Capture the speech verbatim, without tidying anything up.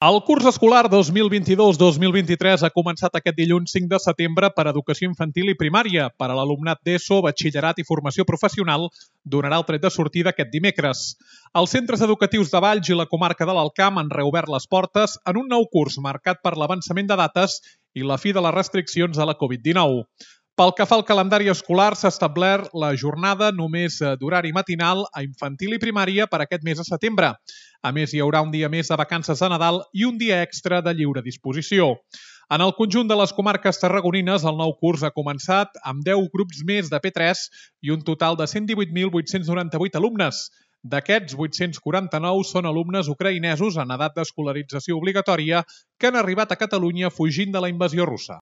El curs escolar dos mil vint-i-dos dos mil vint-i-tres ha començat aquest dilluns cinc de setembre per a educació infantil i primària. Per a l'alumnat d'ESO, batxillerat i formació professional donarà el tret de sortida aquest dimecres. Els centres educatius de Valls i la comarca de l'Alt Camp han reobert les portes en un nou curs marcat per l'avançament de dates i la fi de les restriccions a la Covid dinou. Pel que fa al calendari escolar, s'ha establert la jornada només d'horari matinal a infantil i primària per aquest mes de setembre. A més, hi haurà un dia més de vacances de Nadal i un dia extra de lliure disposició. En el conjunt de les comarques tarragonines, el nou curs ha començat amb deu grups més de P tres i un total de cent divuit mil vuit-cents noranta-vuit alumnes. D'aquests, vuit-cents quaranta-nou són alumnes ucraïnesos en edat d'escolarització obligatòria que han arribat a Catalunya fugint de la invasió russa.